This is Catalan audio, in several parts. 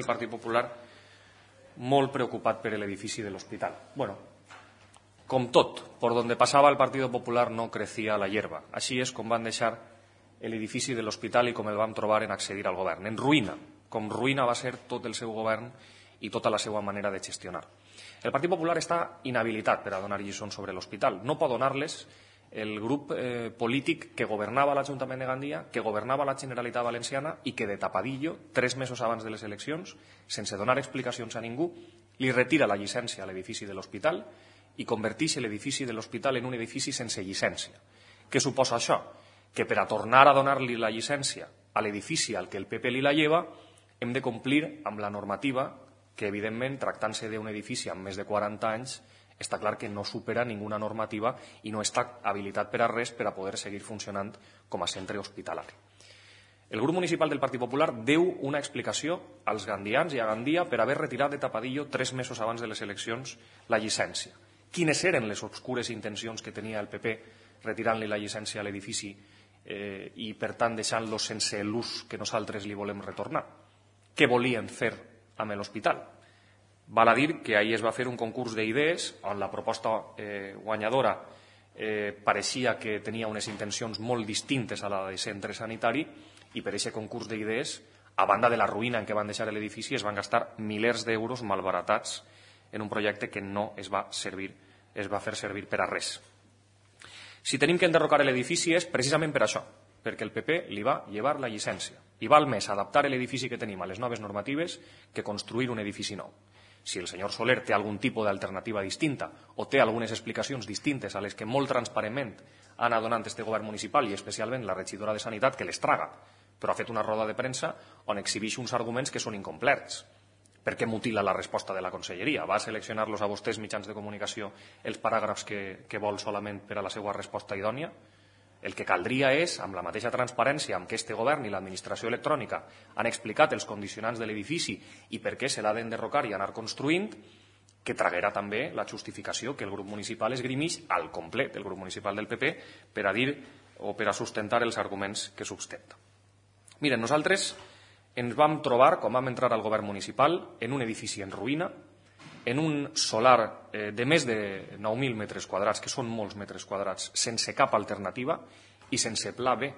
El Partit Popular molt preocupat per l'edifici de l'hospital. Bueno, com tot, por donde pasaba el Partido Popular no crecía la hierba. Així és com van deixar l'edifici de l'hospital i com el vam trobar en accedir al govern. En ruïna, com ruïna va ser tot el seu govern i tota la seva manera de gestionar. El Partit Popular està inhabilitat per a donar lliçons sobre l'hospital. No pot donar-les el grup polític que governava l'Ajuntament de Gandia, que governava la Generalitat Valenciana i que de tapadillo, 3 mesos abans de les eleccions, sense donar explicacions a ningú, li retira la llicència a l'edifici de l'hospital i converteix l'edifici de l'hospital en un edifici sense llicència. Què suposa això? Que per a tornar a donar-li la llicència a l'edifici al que el PP li la lleva, hem de complir amb la normativa que, evidentment, tractant-se d'un edifici amb més de 40 anys, està clar que no supera ninguna normativa i no està habilitat per a res per a poder seguir funcionant com a centre hospitalari. El grup municipal del Partit Popular deu una explicació als gandians i a Gandia per haver retirat de tapadillo 3 mesos abans de les eleccions la llicència. Quines eren les obscures intencions que tenia el PP retirant-li la llicència a l'edifici i, per tant, deixant-lo sense l'ús que nosaltres li volem retornar? Què volien fer amb l'hospital? Val a dir que ahir es va fer un concurs d'idees on la proposta guanyadora pareixia que tenia unes intencions molt distintes a la de centre sanitari i per aquest concurs d'idees, a banda de la ruïna en què van deixar l'edifici, es van gastar milers d'euros malbaratats en un projecte que no es va fer servir per a res. Si tenim que enderrocar l'edifici és precisament per això, perquè el PP li va llevar la llicència i val més adaptar l'edifici que tenim a les noves normatives que construir un edifici nou. Si el senyor Soler té algun tipus d'alternativa distinta o té algunes explicacions distintes a les que molt transparentment ha anat donant este govern municipal i especialment la regidora de Sanitat, que les traga, però ha fet una roda de premsa on exhibeix uns arguments que són incomplerts. Per què mutila la resposta de la conselleria? Va seleccionar-los a vostès, mitjans de comunicació, els paràgrafs que vol solament per a la seva resposta idònia? El que caldria és, amb la mateixa transparència amb què este govern i l'administració electrònica han explicat els condicionants de l'edifici i per què se l'ha d'enderrocar i anar construint, que traguera també la justificació que el grup municipal esgrimix al complet, el grup municipal del PP, per a dir o per a sustentar els arguments que substenta. Miren, nosaltres ens vam trobar, quan vam entrar al govern municipal, en un edifici en ruïna, en un solar de més de 9.000 metres quadrats, que són molts metres quadrats, sense cap alternativa i sense pla B.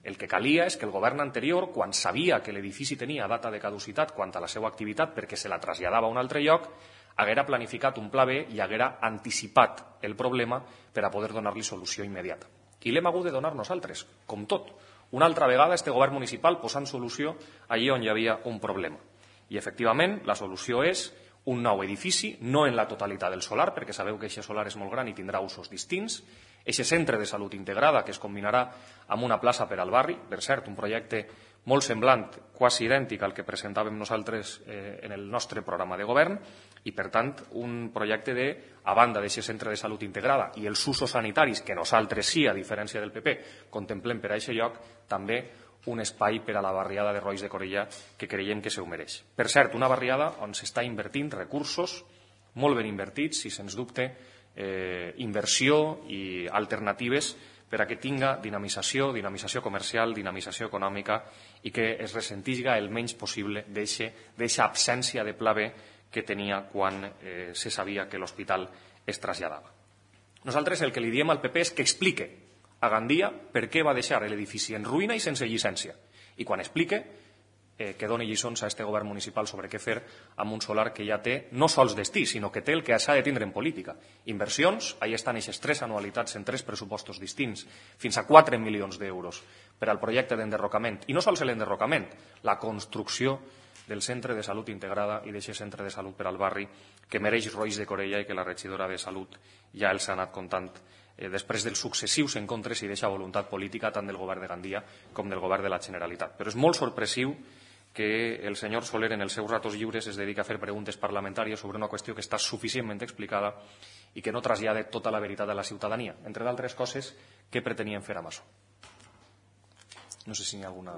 El que calia és que el govern anterior, quan sabia que l'edifici tenia data de caducitat quant a la seva activitat perquè se la traslladava a un altre lloc, haguera planificat un pla B i haguera anticipat el problema per a poder donar-li solució immediata. I l'hem hagut de donar nosaltres, com tot. Una altra vegada este govern municipal posant solució allí on hi havia un problema. I, efectivament, la solució és un nou edifici, no en la totalitat del solar, perquè sabeu que aquest solar és molt gran i tindrà usos distints, aquest centre de salut integrada que es combinarà amb una plaça per al barri, per cert, un projecte molt semblant, quasi idèntic al que presentàvem nosaltres en el nostre programa de govern, i, per tant, un projecte de, a banda d'aquest centre de salut integrada i els usos sanitaris que nosaltres sí, a diferència del PP, contemplem per a aquest lloc, també un espai per a la barriada de Rois de Corella que creiem que se ho mereix. Per cert, una barriada on s'està invertint recursos molt ben invertits i, sens dubte, inversió i alternatives per a que tinga dinamització comercial, dinamització econòmica i que es ressentiga el menys possible d'aquesta absència de pla B que tenia quan se sabia que l'hospital es traslladava. Nosaltres el que li diem al PP és que explique a Gandia per què va deixar l'edifici en ruïna i sense llicència. I quan explique, que doni lliçons a este govern municipal sobre què fer amb un solar que ja té no sols destí, sinó que té el que s'ha de tindre en política. Inversions, ahí estan aquestes 3 anualitats en 3 pressupostos distints, fins a 4 milions d'euros per al projecte d'enderrocament. I no sols l'enderrocament, la construcció del centre de salut integrada i d'aquest centre de salut per al barri que mereix Rois de Corella i que la regidora de Salut ja els ha anat contant després dels successius encontres i d'aquesta voluntat política tant del govern de Gandia com del govern de la Generalitat. Però és molt sorpresiu que el senyor Soler en els seus ratos lliures es dedica a fer preguntes parlamentàries sobre una qüestió que està suficientment explicada i que no trasllada tota la veritat a la ciutadania. Entre d'altres coses, què pretenien fer amb això? No sé si hi ha alguna...